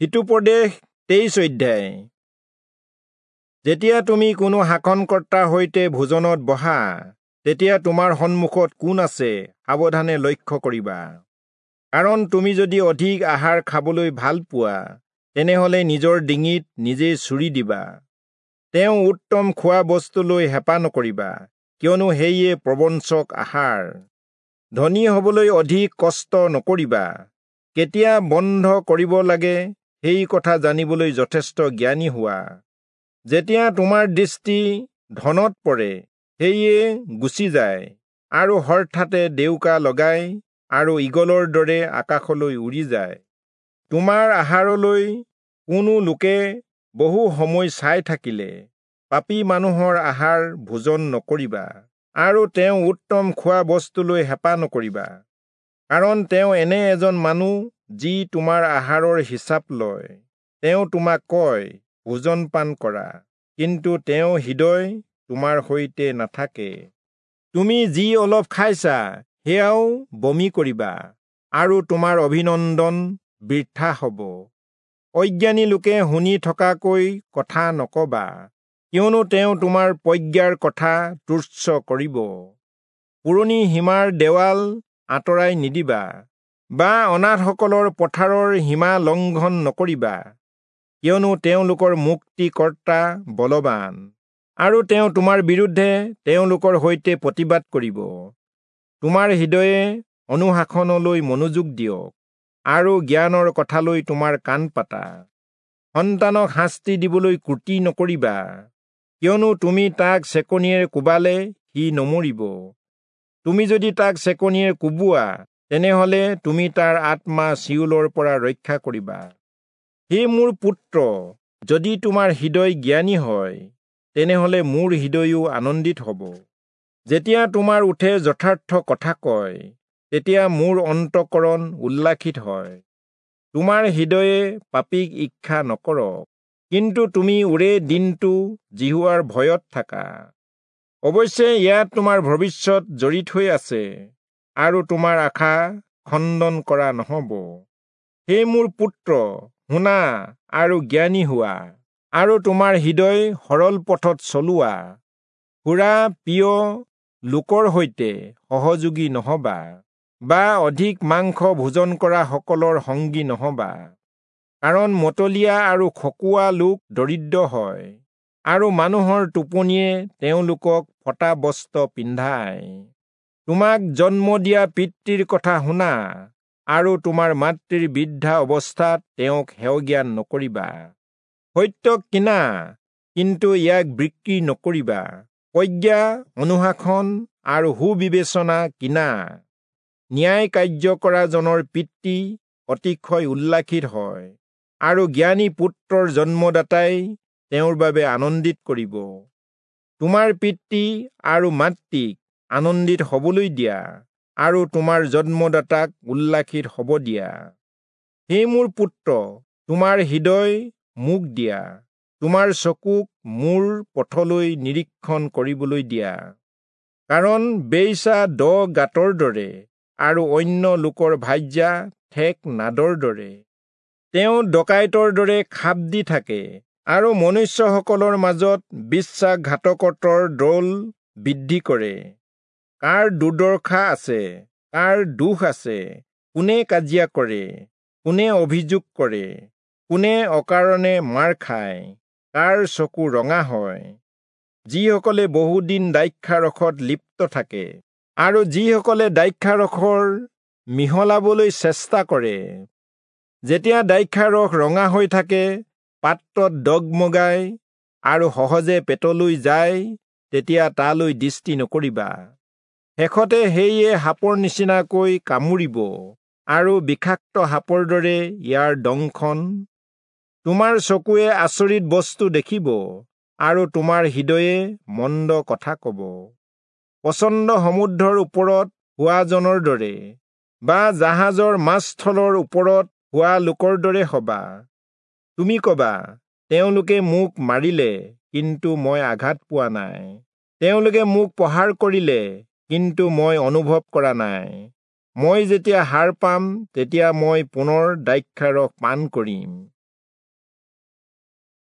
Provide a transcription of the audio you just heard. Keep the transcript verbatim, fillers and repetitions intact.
হিতোপদেশ তেইশ অধ্যায়। যেতিয়া তুমি কোনো শাসনকৰ্তাৰ সৈতে ভোজনত বহা, তেতিয়া তোমাৰ সন্মুখত কোন আছে সাৱধানে লক্ষ্য কৰিবা। কাৰণ তুমি যদি অধিক আহাৰ খাবলৈ ভাল পোৱা, তেনেহলে নিজৰ ডিঙিত নিজেই চুৰি দিবা। তেওঁ উত্তম খোৱা বস্তুলৈ হেঁপাহ নকৰিবা, কিয়নো সেয়ে প্ৰবঞ্চক আহাৰ। ধনী হবলৈ অধিক কষ্ট নকৰিবা। কেতিয়া বন্ধ কৰিব লাগে সেই কথা জানিবলৈ যথেষ্ট জ্ঞানী হোৱা। যেতিয়া তোমাৰ দৃষ্টি ধনত পৰে, সেয়ে গুচি যায় আৰু হঠাতে ডেউকা লগাই আৰু ঈগলৰ দৰে আকাশলৈ উৰি যায়। তোমাৰ আহাৰলৈ কোনো লোকে বহু সময় চাই থাকিলে পাপী মানুহৰ আহাৰ ভোজন নকৰিবা আৰু তেওঁ উত্তম খোৱা বস্তুলৈ হেঁপাহ নকৰিবা। কাৰণ তেওঁ এনে এজন মানুহ যি তোমাৰ আহাৰৰ হিচাপ লয়। তেওঁ তোমাক কয়, ভোজন পান কৰা, কিন্তু তেওঁ হৃদয় তোমাৰ সৈতে নাথাকে। তুমি যি অলপ খাইছা সেয়াও বমি কৰিবা আৰু তোমাৰ অভিনন্দন বৃথা হ'ব। অজ্ঞানী লোকে শুনি থকাকৈ কথা নকবা, কিয়নো তেওঁ তোমাৰ প্ৰজ্ঞাৰ কথা তুচ্ছ কৰিব। পুৰণি সীমাৰ দেৱাল আঁতৰাই নিদিবা বা অনাথসকলৰ পথাৰৰ সীমা লংঘন নকৰিবা, কিয়নো তেওঁলোকৰ মুক্তিকৰ্তা বলৱান আৰু তেওঁ তোমাৰ বিৰুদ্ধে তেওঁলোকৰ সৈতে প্ৰতিবাদ কৰিব। তোমাৰ হৃদয়ে অনুশাসনলৈ মনোযোগ দিয়ক আৰু জ্ঞানৰ কথালৈ তোমাৰ কাণ পাতা। সন্তানক শাস্তি দিবলৈ ক্ৰুটি নকৰিবা, কিয়নো তুমি তাক চেকনিৰে কোবালে সি নমৰিব। তুমি যদি তাক চেকনিৰে কোবোৱা, তেনেহলে তুমি তাৰ আত্মা চিউলৰ পৰা ৰক্ষা কৰিবা। হে মোৰ পুত্ৰ, যদি তোমাৰ হৃদয় জ্ঞানী হয়, তেনেহলে মোৰ হৃদয়ো আনন্দিত হ'ব। যেতিয়া তোমাৰ ওঁঠে যথাৰ্থ কথা কয়, তেতিয়া মোৰ অন্তঃকৰণ উল্লাসিত হয়। তোমাৰ হৃদয়ে পাপীক ঈৰ্ষা নকৰক, কিন্তু তুমি ওৰে দিনটো যিহোৱাৰ ভয়ত থাকা। অৱশ্যে ইয়াত তোমাৰ ভৱিষ্যত জড়িত হৈ আছে আৰু তোমাৰ আশা খণ্ডন কৰা নহ'ব। হে মোৰ পুত্ৰ, শুনা আৰু জ্ঞানী হোৱা আৰু তোমাৰ হৃদয় সৰল পথত চলোৱা। সুৰা প্ৰিয় লোকৰ সৈতে সহযোগী নহবা বা অধিক মাংস ভোজন কৰা সকলৰ সংগী নহবা। কাৰণ মতলীয়া আৰু খকুৱা লোক দৰিদ্ৰ হয় আৰু মানুহৰ টোপনিয়ে তেওঁলোকক ফটা বস্ত্ৰ পিন্ধায়। তোমাক জন্ম দিয়া পিতৃৰ কথা শুনা আৰু তোমাৰ মাতৃৰ বৃদ্ধা অৱস্থাত তেওঁক হেয়জ্ঞান নকৰিবা। সত্যক কিনা, কিন্তু ইয়াক বিক্ৰী নকৰিবা। প্ৰজ্ঞা, অনুশাসন আৰু সুবিবেচনা কিনা। ন্যায় কাৰ্য কৰা জনৰ পিতৃ অতিশয় উল্লাসিত হয় আৰু জ্ঞানী পুত্ৰৰ জন্মদাতাই তেওঁৰ বাবে আনন্দিত কৰিব। তোমাৰ পিতৃ আৰু মাতৃক আনন্দিত হবলৈ দিয়া আৰু তোমাৰ জন্মদাতাক উল্লাসিত হ'ব দিয়া। হে মোৰ পুত্ৰ, তোমাৰ হৃদয় মোক দিয়া, তোমাৰ চকুক মোৰ পথলৈ নিৰীক্ষণ কৰিবলৈ দিয়া। কাৰণ বেইছা দ গাঁতৰ দৰে আৰু অন্য লোকৰ ভাৰ্যা ঠেক নাদৰ দৰে। তেওঁ ডকাইতৰ দৰে খাপ দি থাকে আৰু মনুষ্যসকলৰ মাজত বিশ্বাসঘাতকতাৰ দল বৃদ্ধি কৰে। কাৰ দুৰ্দশা আছে, কাৰ দুখ আছে, কোনে কাজিয়া কৰে, কোনে অভিযোগ কৰে, কোনে অকাৰণে মাৰ খায়, কাৰ চকু ৰঙা হয়। যিসকলে বহুদিন দ্ৰাক্ষাৰসত লিপ্ত থাকে আৰু যিসকলে দ্ৰাক্ষাৰসৰ মিহলাবলৈ চেষ্টা কৰে। যেতিয়া দ্ৰাক্ষাৰস ৰঙা হৈ থাকে, পাত্ৰত দগমগায় আৰু সহজে পেটলৈ যায়, তেতিয়া তালৈ দৃষ্টি নকৰিবা। শেষতে সেয়ে সাপৰ নিচিনাকৈ কামুৰিব আৰু বিষাক্ত সাপৰ দৰে ইয়াৰ দংশন। তোমাৰ চকুৱে আচৰিত বস্তু দেখিব আৰু তোমাৰ হৃদয়ে মন্দ কথা কব। প্ৰচণ্ড সমুদ্ৰৰ ওপৰত হোৱাজনৰ দৰে বা জাহাজৰ মাছস্থলৰ ওপৰত হোৱা লোকৰ দৰে হবা। তুমি কবা, তেওঁলোকে মোক মাৰিলে, কিন্তু মই আঘাত পোৱা নাই। তেওঁলোকে মোক প্ৰহাৰ কৰিলে, কিন্তু মই অনুভৱ কৰা নাই। মই যেতিয়া সাৰ পাম, তেতিয়া মই পুনৰ দ্ৰাক্ষাৰস পান কৰিম।